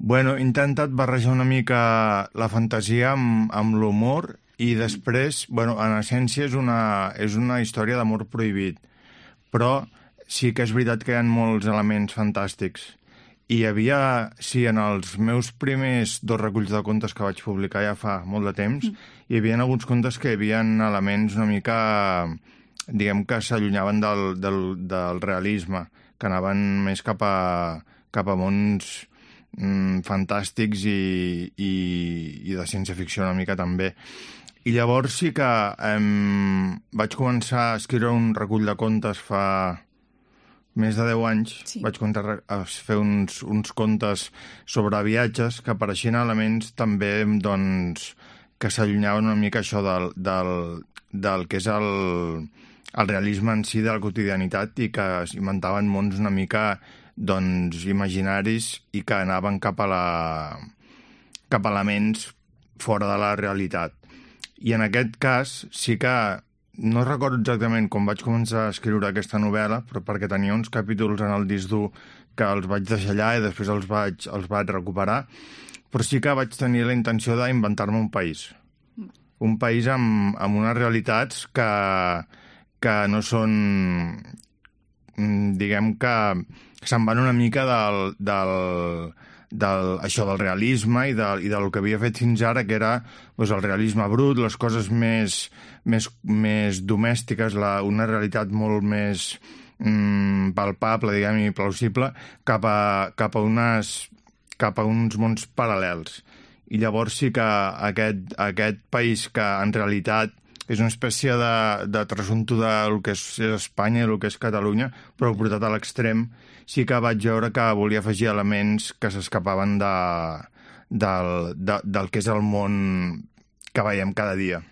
Bueno, he intentat barrejar una mica la fantasia amb l'humor i després, bueno, en essència és una història d'amor prohibit, però sí que és veritat que hi ha molts elements fantàstics. I hi havia, sí, en els meus primers dos reculls de contes que vaig publicar ja fa molt de temps, hi havia alguns contes que hi havia elements una mica, diguem que s'allunyaven del realisme, que anaven més cap a mons fantàstics i de ciència-ficció una mica també. I llavors sí que vaig començar a escriure un recull de contes fa més de 10 anys. Sí. Vaig començar a fer uns contes sobre viatges que apareixien elements també, doncs, que s'allunyaven una mica això del que és el realisme en si de la quotidianitat i que inventaven mons una mica, doncs, imaginaris i que anaven cap a elements fora de la realitat. I en aquest cas sí que no recordo exactament com vaig començar a escriure aquesta novel·la, però perquè tenia uns capítols en el disc dur que els vaig deixar allà i després els vaig recuperar, però sí que vaig tenir la intenció d'inventar-me un país. Un país amb unes realitats que no són, diguem que se'n van una mica això del realisme i del que havia fet fins ara, que era doncs, el realisme brut, les coses més domèstiques, una realitat molt més palpable, diguem, i plausible, cap a uns mons paral·lels. I llavors sí que aquest país que en realitat és una espècie de trasunto del que és Espanya i el que és Catalunya, però portat a l'extrem, sí que vaig veure que volia afegir elements que s'escapaven del que és el món que veiem cada dia.